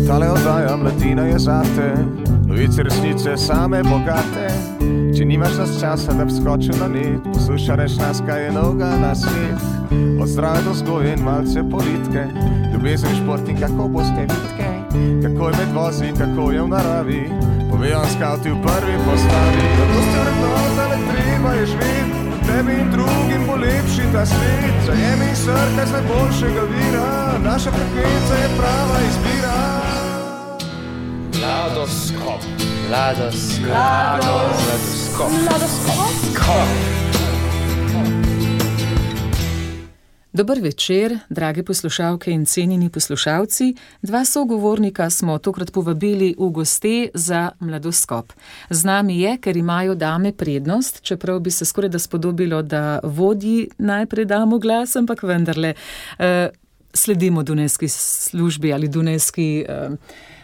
Tale oddaja Mladina je zate, novice resnice same bogate. Če nimaš nas časa, da bi skočil na net, poslušaj nas, kaj je novega na svet. Od zdrave do vzgoje in malce politike, ljubezen, šport in kako boste vitke, kako je med vozi, kako je v naravi, povejo skavti v prvi postavi. Zato ste vrednota, le treba je živeti, tebi in drugim bo lepši ta svet. Zajemi srkaj z najboljšega vira, naša frekvenca je prava izbira. Mladoskop. Dober večer, drage poslušalke in cenjeni poslušalci. Dva sogovornika smo tokrat povabili v goste za Mladoskop. Z nami je, ker imajo dame prednost, čeprav bi se skoraj da spodobilo, da vodji najprej damo glas, ampak vendarle sledimo dunajski službi ali dunajski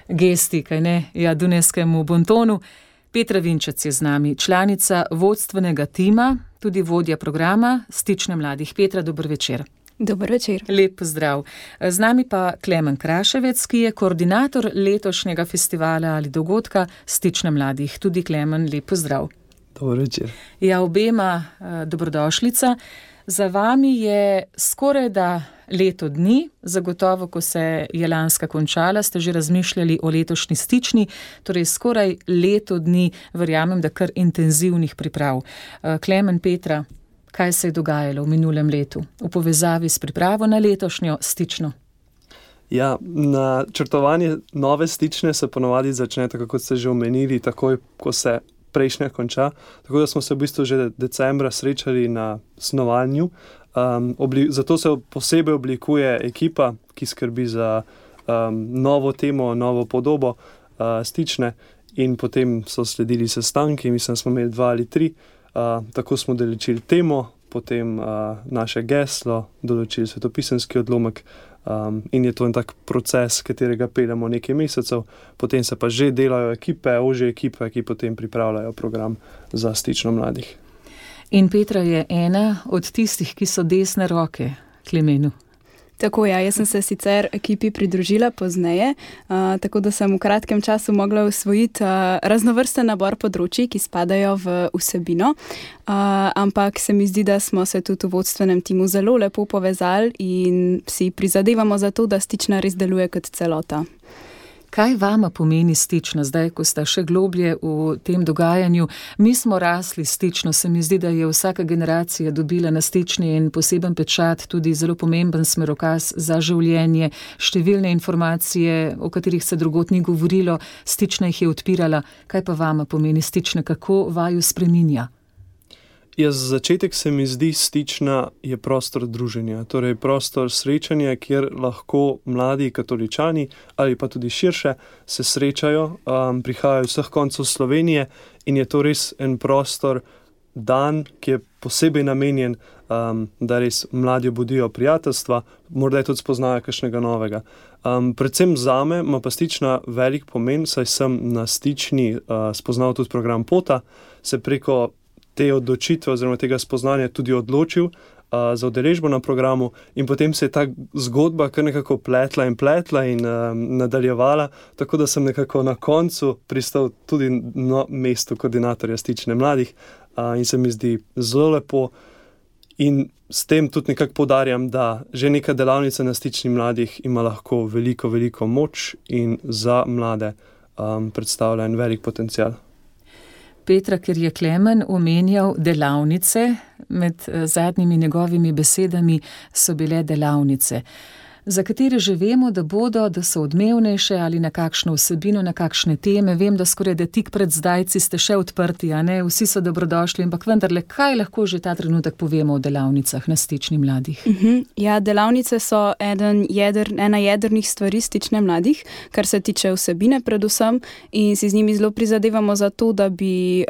gesti, kaj ne, ja, dunajskemu bontonu. Petra Vinčec je z nami, članica vodstvenega tima, tudi vodja programa Stične mladih. Petra, dober večer. Dober večer. Lep pozdrav. Z nami pa Klemen Kraševec, ki je koordinator letošnjega festivala ali dogodka Stične mladih. Tudi Klemen, lep pozdrav. Dober večer. Ja, obema dobrodošlica. Za vami je skoraj da leto dni, zagotovo, ko se je lanska končala, ste že razmišljali o letošnji Stični, torej skoraj leto dni, verjamem, da kar intenzivnih priprav. Klemen, Petra, kaj se je dogajalo v minulem letu v povezavi s pripravo na letošnjo Stično? Ja, načrtovanje nove Stične se ponovadi začne, tako kot ste že omenili, takoj, ko se prejšnja konča, tako da smo se v bistvu že decembra srečali na snovanju. Zato se posebej oblikuje ekipa, ki skrbi za novo temo, novo podobo Stične, in potem so sledili sestanki, mislim, smo imeli 2 ali 3, tako smo določili temo, potem naše geslo, določili svetopisemski odlomek, in je to en tak proces, katerega peljemo nekaj mesecev, potem se pa že delajo ekipe, ožje ekipe, ki potem pripravljajo program za Stično mladih. In Petra je ena od tistih, ki so desne roke Klemenu. Tako ja, jaz sem se sicer ekipi pridružila pozneje, tako da sem v kratkem času mogla usvojiti raznovrsten nabor področij, ki spadajo v vsebino, ampak se mi zdi, da smo se tudi v vodstvenem timu zelo lepo povezali in si prizadevamo za to, da Stična res deluje kot celota. Kaj vama pomeni Stična, zdaj, ko sta še globlje v tem dogajanju? Mi smo rasli Stično, se mi zdi, da je vsaka generacija dobila na Stični en poseben pečat, tudi zelo pomemben smerokaz za življenje, številne informacije, o katerih se drugod ni govorilo, Stična jih je odpirala. Kaj pa vama pomeni Stična, kako vaju spreminja? Ja, za začetek se mi zdi, Stična je prostor druženja, torej prostor srečanja, kjer lahko mladi katoličani ali pa tudi širše se srečajo, prihajajo vseh koncev Slovenije in je to res en prostor, dan, ki je posebej namenjen, da res mladi obudijo prijateljstva, morda tudi spoznajo kakšnega novega. Predvsem zame ima pa Stična velik pomen, saj sem na Stični spoznal tudi program Pota, se preko te odločitve oziroma tega spoznanja tudi odločil za udeležbo na programu in potem se je ta zgodba kar nekako pletla in nadaljevala, tako da sem nekako na koncu pristal tudi na mestu koordinatorja Stične mladih in se mi zdi zelo lepo in s tem tudi nekako poudarjam, da že neka delavnica na Stični mladih ima lahko veliko moč in za mlade predstavlja en velik potencial. Petra, ker je Klemen omenjal delavnice, med zadnjimi njegovimi besedami so bile delavnice, za katere že vemo, da so odmevnejše ali na kakšno vsebino, na kakšne teme. Vem, da skoraj da tik pred zdajci ste še odprti, a ne? Vsi so dobrodošli, ampak vendarle, kaj lahko že ta trenutek povemo o delavnicah na Stični mladih? Ja, delavnice so ena jedrnih stvari Stične mladih, kar se tiče vsebine predvsem, in si z njimi zelo prizadevamo za to, da bi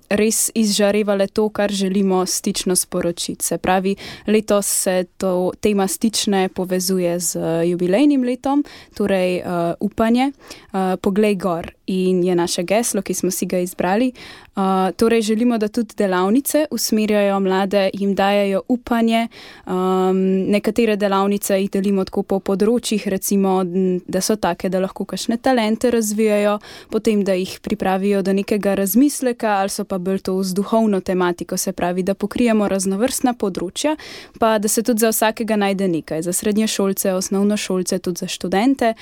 res izžarevale to, kar želimo Stično sporočiti. Se pravi, letos se to tema Stične povezuje z jubilejnim letom, torej upanje, poglej gor. in je naše geslo, ki smo si ga izbrali. Torej želimo, da tudi delavnice usmerjajo mlade, jim dajajo upanje. Nekatere delavnice jih delimo tako po področjih, recimo, da so take, da lahko kakšne talente razvijajo, potem, da jih pripravijo do nekega razmisleka, ali so pa bolj to z duhovno tematiko, se pravi, da pokrijemo raznovrstna področja, pa da se tudi za vsakega najde nekaj, za srednješolce, osnovnošolce, tudi za študente.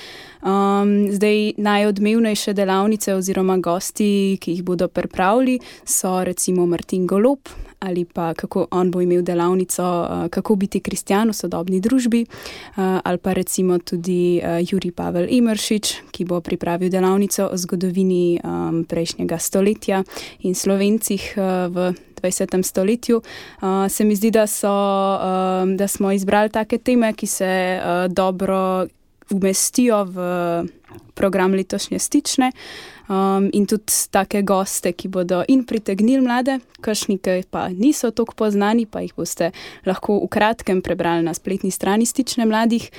Zdaj najodmevnejše delavnice oziroma gosti, ki jih bodo pripravili, so recimo Martin Golob, ali pa kako on bo imel delavnico kako biti kristjan v sodobni družbi, ali pa recimo tudi Jurij Pavel Emeršič, ki bo pripravil delavnico o zgodovini prejšnjega stoletja in Slovencih v 20. stoletju. Se mi zdi, da smo izbrali take teme, ki se dobro umestijo v program letošnje Stične, in tudi take goste, ki bodo in pritegnili mlade, kakšni pa niso toliko poznani, pa jih boste lahko v kratkem prebrali na spletni strani Stične mladih,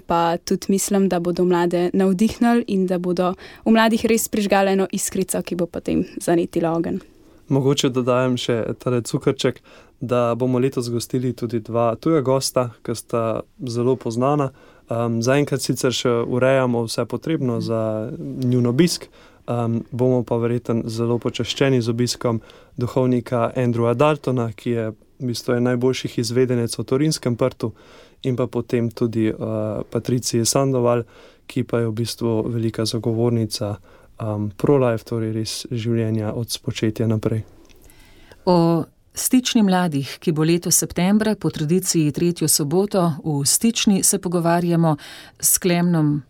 pa tudi mislim, da bodo mlade navdihnili in da bodo v mladih res prižgali eno iskrico, ki bo potem zanetila ogenj. Mogoče dodajem še tale cukrček, da bomo letos gostili tudi 2 tuja gosta, ki sta zelo poznana. Zaenkrat sicer še urejamo vse potrebno za njun obisk, bomo pa verjetno zelo počaščeni z obiskom duhovnika Andrewa Daltona, ki je v bistvu najboljših izvedenec v Torinskem Prtu, in pa potem tudi Patricije Sandoval, ki pa je v bistvu velika zagovornica pro-life, torej res življenja od spočetja naprej. O Stični mladih, ki bo letos septembra po tradiciji 3. soboto v Stični, se pogovarjamo s Klemnom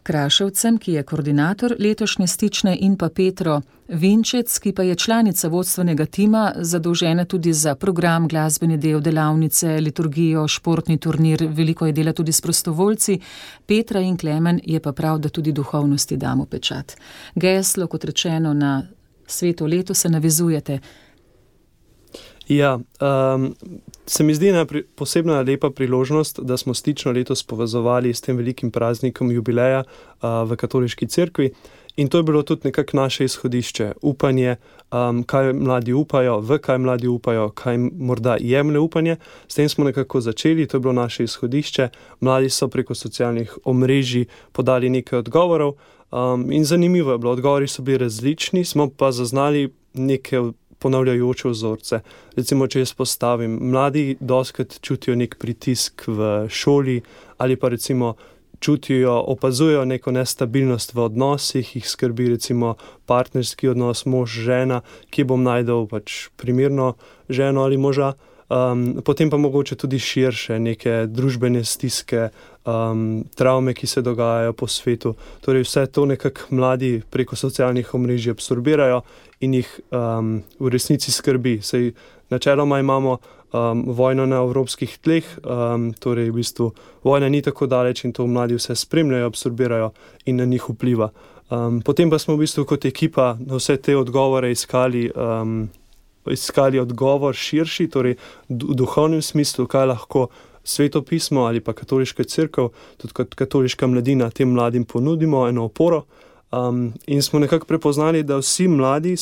Kraševcem, ki je koordinator letošnje Stične, in pa Petro Vinčec, ki pa je članica vodstvenega tima, zadolžena tudi za program, glasbeni del, delavnice, liturgijo, športni turnir, veliko je dela tudi s prostovoljci. Petra in Klemen je pa prav, da tudi duhovnosti damo pečat. Geslo, kot rečeno, na sveto leto se navezujete. Ja, se mi zdi posebna lepa priložnost, da smo Stično letos povezovali s tem velikim praznikom jubileja v katoliški cerkvi, in to je bilo tudi nekako naše izhodišče, upanje, kaj mladi upajo, v kaj mladi upajo, kaj morda jemlje upanje. S tem smo nekako začeli, to je bilo naše izhodišče. Mladi so preko socialnih omrežij podali nekaj odgovorov, in zanimivo je bilo, odgovori so bili različni, smo pa zaznali neke ponavljajoče vzorce. Recimo, če jaz postavim, mladi dostikrat čutijo nek pritisk v šoli, ali pa recimo čutijo, opazujejo neko nestabilnost v odnosih, jih skrbi recimo partnerski odnos mož-žena, kje bom najdel pač primerno ženo ali moža. Potem pa mogoče tudi širše neke družbene stiske, travme, ki se dogajajo po svetu. Torej vse to nekako mladi preko socialnih omrežij absorbirajo in jih v resnici skrbi. Saj načeloma imamo vojno na evropskih tleh, torej v bistvu vojna ni tako daleč in to mladi vse spremljajo, absorbirajo in na njih vpliva. Potem pa smo v bistvu kot ekipa na vse te odgovore iskali odgovor širši, torej v duhovnem smislu, kaj lahko Sveto pismo ali pa katoliška cerkev, tudi kot katoliška mladina, tem mladim ponudimo eno oporo. In smo nekako prepoznali, da vsi mladi,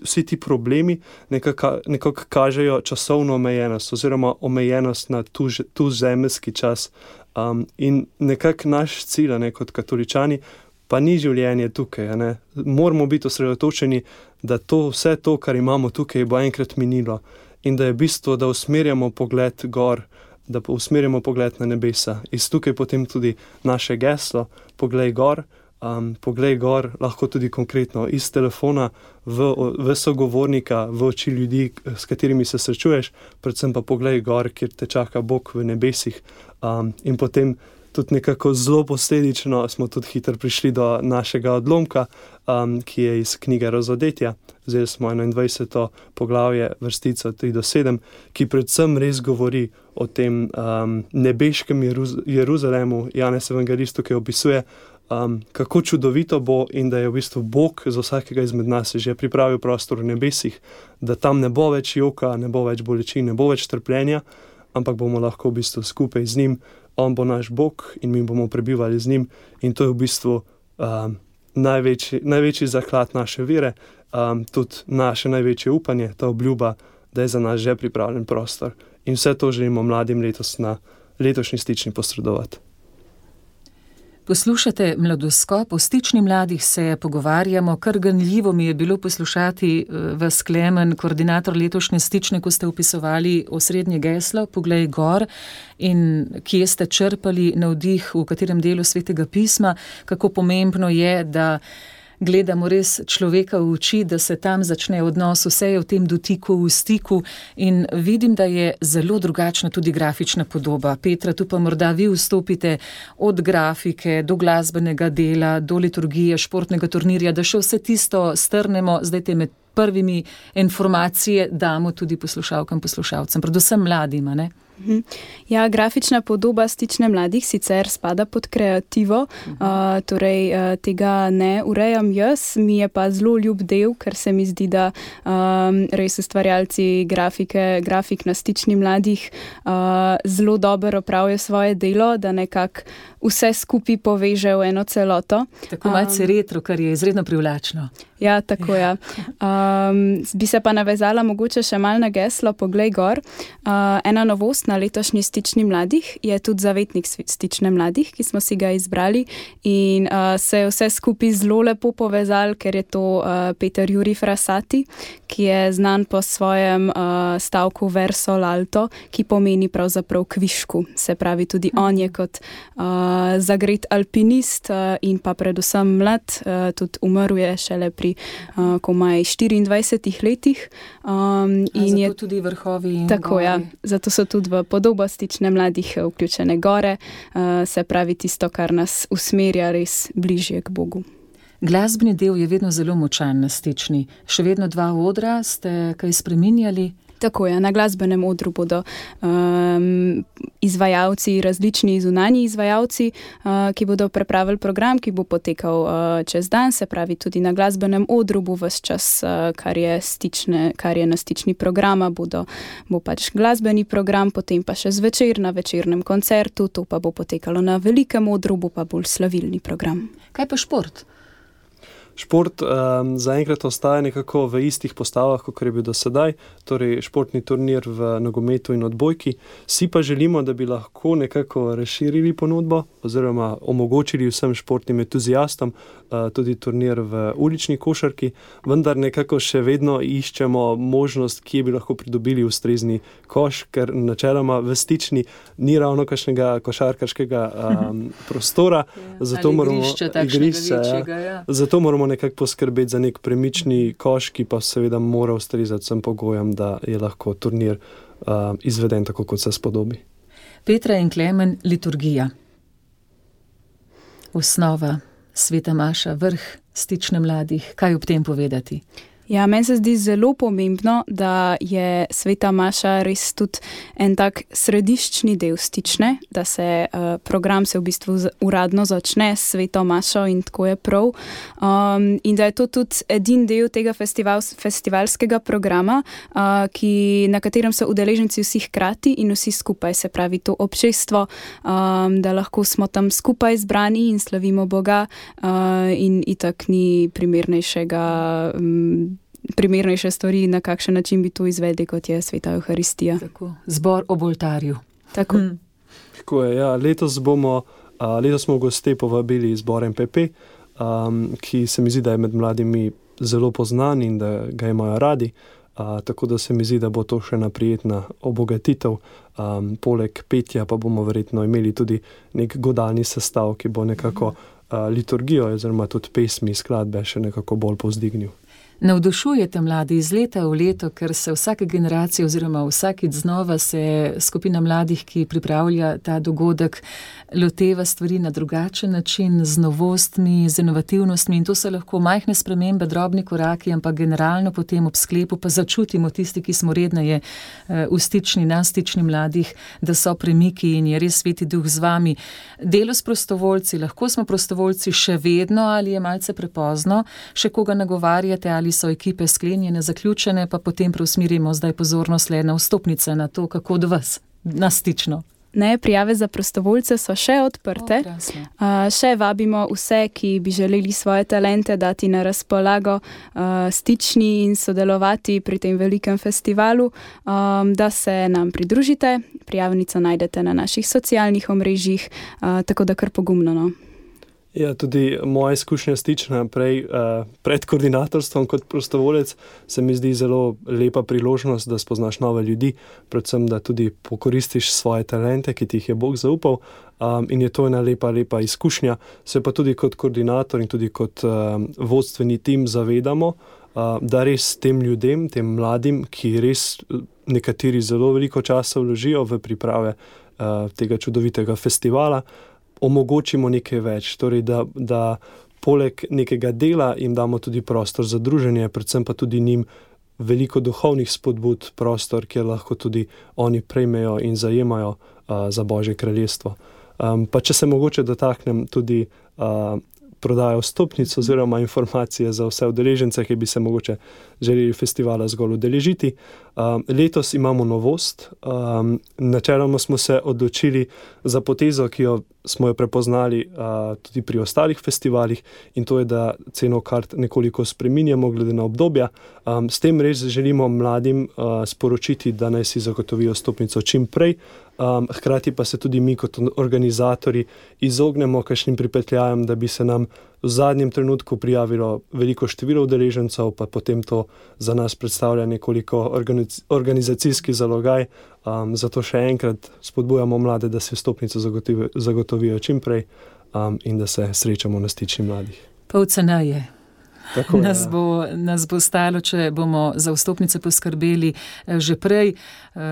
vsi ti problemi nekako kažejo časovno omejenost oziroma omejenost na tu zemeljski čas. In nekako naš cilj, kot katoličani, pa ni življenje tukaj. Moramo biti osredotočeni, da vse to, kar imamo tukaj, bo enkrat minilo. In da je bistvo, da usmerjamo pogled gor, da usmerjamo pogled na nebesa. Iz tukaj potem tudi naše geslo, poglej gor, lahko tudi konkretno iz telefona v sogovornika, v oči ljudi, s katerimi se srečuješ, predvsem pa poglej gor, kjer te čaka Bog v nebesih. In potem tudi nekako zelo posledično smo tudi hitro prišli do našega odlomka, ki je iz knjige Razodetja. Zdaj smo 21. poglavje, vrstico 3-7, ki predvsem res govori o tem nebeškem Jeruzalemu. Janez Evangelist tukaj opisuje, kako čudovito bo in da je v bistvu Bog za vsakega izmed nas že pripravil prostor v nebesih, da tam ne bo več joka, ne bo več bolečin, ne bo več trpljenja, ampak bomo lahko v bistvu skupaj z njim. On bo naš Bog in mi bomo prebivali z njim, in to je v bistvu največji zaklad naše vere, tudi naše največje upanje, ta obljuba, da je za nas že pripravljen prostor. In vse to želimo mladim letos na letošnji stični posredovati. Poslušate Mladoskop, o stični mladih se pogovarjamo, kar ganljivo mi je bilo poslušati vas, Klemen, koordinator letošnje stične, ko ste opisovali osrednje geslo, Poglej gor, in kje ste črpali navdih, v katerem delu Svetega pisma, kako pomembno je, da gledamo res človeka v oči, da se tam začne odnos, vse je v tem dotiku, v stiku, in vidim, da je zelo drugačna tudi grafična podoba. Petra, tu pa morda vi vstopite od grafike do glasbenega dela, do liturgije, športnega turnirja, da še vse tisto strnemo, zdaj te med prvimi informacije damo tudi poslušalkam, poslušalcem, predvsem mladima, ne? Ja, grafična podoba stične mladih sicer spada pod kreativo, torej tega ne urejam jaz, mi je pa zelo ljub del, ker se mi zdi, da res ustvarjalci grafik na stični mladih zelo dobro opravijo svoje delo, da nekako vse skupaj poveže v eno celoto. Tako malce retro, kar je izredno privlačno. Ja, tako ja. Bi se pa navezala mogoče še malo na geslo Poglej gor. Ena novost na letošnji stični mladih je tudi zavetnik stične mladih, ki smo si ga izbrali, in se je vse skupaj zelo lepo povezal, ker je to Peter Jurij Frassati, ki je znan po svojem stavku verso l'alto, ki pomeni pravzaprav kvišku. Se pravi, tudi on je kot zagret alpinist in pa predvsem mlad, tudi umrl je šele pri komaj 24 letih. In zato tudi vrhovi in tako, gori. Ja, zato so tudi v podobo stične mladih vključene gore, se pravi tisto, kar nas usmerja res bližje k Bogu. Glasbeni del je vedno zelo močan na stični. Še vedno 2 odra, ste kaj spreminjali? Tako je, na glasbenem odru bodo izvajalci, različni zunanji izvajalci, ki bodo pripravili program, ki bo potekal čez dan, se pravi tudi na glasbenem odru bo ves čas, kar je na stični programa, bo pač glasbeni program, potem pa še zvečer na večernem koncertu, to pa bo potekalo na velikem odru, bo pa bolj slavilni program. Kaj pa šport? Šport zaenkrat ostaja nekako v istih postavah, kot je bil do sedaj, torej športni turnir v nogometu in odbojki. Si pa želimo, da bi lahko nekako razširili ponudbo oziroma omogočili vsem športnim entuziastom tudi turnir v ulični košarki, vendar nekako še vedno iščemo možnost, kje bi lahko pridobili ustrezni koš, ker načeloma v stični ni ravno kakšnega košarkarskega prostora, zato moramo zato moramo nekako poskrbeti za nek premični koš, ki pa seveda mora ustrezati vsem pogojem, da je lahko turnir izveden tako, kot se spodobi. Petra in Klemen, liturgija. Osnova, sveta maša, vrh stične mladih. Kaj ob tem povedati? Ja, meni se zdi zelo pomembno, da je sveta maša res tudi en tak središčni del stične, da se program se v bistvu uradno začne s sveto mašo in tako je prav. In da je to tudi edin del tega festivalskega programa, na katerem so udeleženci vsi hkrati in vsi skupaj, se pravi to občestvo, da lahko smo tam skupaj zbrani in slavimo Boga, in itak ni primernejše stvari, na kakšen način bi to izvedli, kot je sveta Evharistija. Tako, zbor ob oltarju. Tako. Tako je, ja. Letos smo goste povabili zbor MPP, ki se mi zdi, da je med mladimi zelo poznan in da ga imajo radi, tako da se mi zdi, da bo to še naprijetna obogatitev. Poleg petja pa bomo verjetno imeli tudi nek godalni sestav, ki bo nekako liturgijo oziroma tudi pesmi, skladbe še nekako bolj povzdignil. Navdušujete mladi iz leta v leto, ker se vsake generacije oziroma vsakič znova se skupina mladih, ki pripravlja ta dogodek, loteva stvari na drugačen način, z novostmi, z inovativnostmi, in to so lahko majhne spremembe, drobni koraki, ampak generalno potem ob sklepu pa začutimo tisti, ki smo redneje v stični, na stični mladih, da so premiki in je res Sveti Duh z vami. Delo s prostovoljci, lahko smo prostovoljci še vedno ali je malce prepozno, še koga nagovarjate ali so ekipe sklenjene, zaključene, pa potem preusmirimo zdaj pozornost le na vstopnice, na to, kako do vas, na stično. Ne, prijave za prostovoljce so še odprte. Še vabimo vse, ki bi želeli svoje talente dati na razpolago, stični in sodelovati pri tem velikem festivalu, da se nam pridružite. Prijavnico najdete na naših socialnih omrežjih, tako da kar pogumno, no. Ja, tudi moja izkušnja stična pred koordinatorstvom kot prostovolec se mi zdi zelo lepa priložnost, da spoznaš nove ljudi, predvsem, da tudi pokoristiš svoje talente, ki ti jih je Bog zaupal, in je to ena lepa izkušnja. Se pa tudi kot koordinator in tudi kot vodstveni tim zavedamo, da res tem ljudem, tem mladim, ki res nekateri zelo veliko časa vložijo v priprave tega čudovitega festivala, omogočimo nekaj več, torej da poleg nekega dela jim damo tudi prostor za druženje, predvsem pa tudi njim veliko duhovnih spodbud, prostor, kjer lahko tudi oni prejmejo in zajemajo za Božje kraljestvo. Pa če se mogoče dotaknem tudi prodajo vstopnic oziroma informacije za vse udeležence, ki bi se mogoče želeli festivala zgolj udeležiti. Letos imamo novost. Načeloma smo se odločili za potezo, ki smo jo prepoznali tudi pri ostalih festivalih, in to je, da ceno kart nekoliko spreminjamo glede na obdobja. S tem res želimo mladim sporočiti, da naj si zagotovijo vstopnico čim prej, hkrati pa se tudi mi kot organizatorji izognemo kakšnim pripetljajem, da bi se nam v zadnjem trenutku prijavilo veliko število udeležencev, pa potem to za nas predstavlja nekoliko organizacijski zalogaj. Zato še enkrat spodbujamo mlade, da se vstopnico zagotovijo čim prej in da se srečamo na stični mladih. Pol ceneje. Nas bo stalo, če bomo za vstopnice poskrbeli že prej,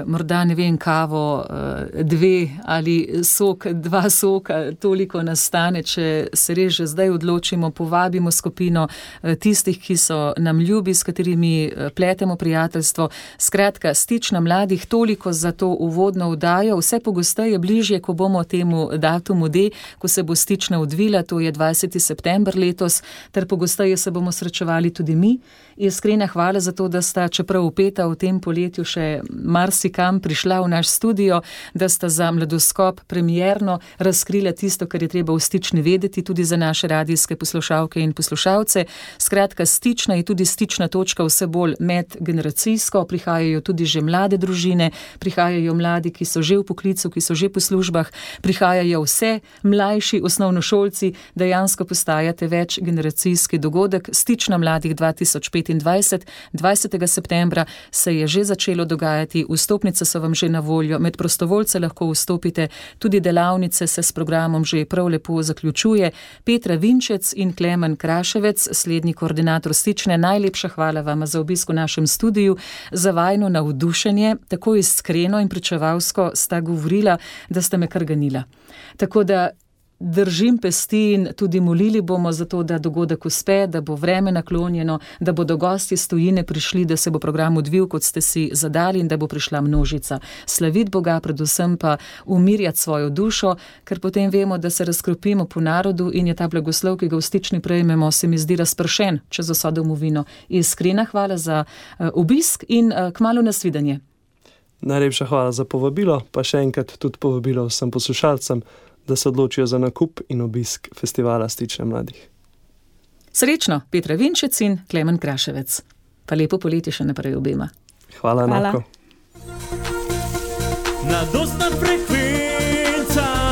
morda ne vem, kavo 2 ali sok 2 soka, toliko nastane, če se res že zdaj odločimo, povabimo skupino tistih, ki so nam ljubi, s katerimi pletemo prijateljstvo. Skratka, stična mladih, toliko za to uvodno vdajo, vse pogosteje bližje, ko bomo temu datumu D, ko se bo stična odvila, to je 20. september letos, ter pogosteje se bomo srečevali tudi mi. Iskrena hvala za to, da sta, čeprav upeta v tem poletju, še marsikam prišla v naš studio, da sta za Mladoskop premierno razkrila tisto, kar je treba v stični vedeti, tudi za naše radijske poslušalke in poslušalce. Skratka, stična je tudi stična točka vse bolj medgeneracijsko, prihajajo tudi že mlade družine, prihajajo mladi, ki so že v poklicu, ki so že po službah, prihajajo vse mlajši osnovnošolci, dejansko postajate večgeneracijski dogodek. Stična mladih 2025, 20. septembra se je že začelo dogajati, vstopnice so vam že na voljo, med prostovoljce lahko vstopite, tudi delavnice se s programom že prav lepo zaključuje. Petra Vinčec in Klemen Kraševec, slednji koordinator stične, najlepša hvala vam za obisk v našem studiu, za vajno navdušenje, tako iskreno in pričevalsko sta govorila, da sta me kar ganila. Tako da držim pesti in tudi molili bomo za to, da dogodek uspe, da bo vreme naklonjeno, da bodo gosti iz tujine prišli, da se bo program odvil, kot ste si zadali, in da bo prišla množica. Slaviti Boga, predvsem pa umirjati svojo dušo, ker potem vemo, da se razkropimo po narodu in je ta blagoslov, ki ga v stični prejmemo, se mi zdi razpršen čez vso domovino. Iskrena hvala za obisk in kmalu nasvidenje. Najlepša hvala za povabilo, pa še enkrat tudi povabilo vsem poslušalcem, da se odločijo za nakup in obisk festivala Stične mladih. Srečno, Petra Vinčec in Klemen Kraševec. Pa lepo poletje še naprej obema. Hvala. Enako. Mladostna frekvenca.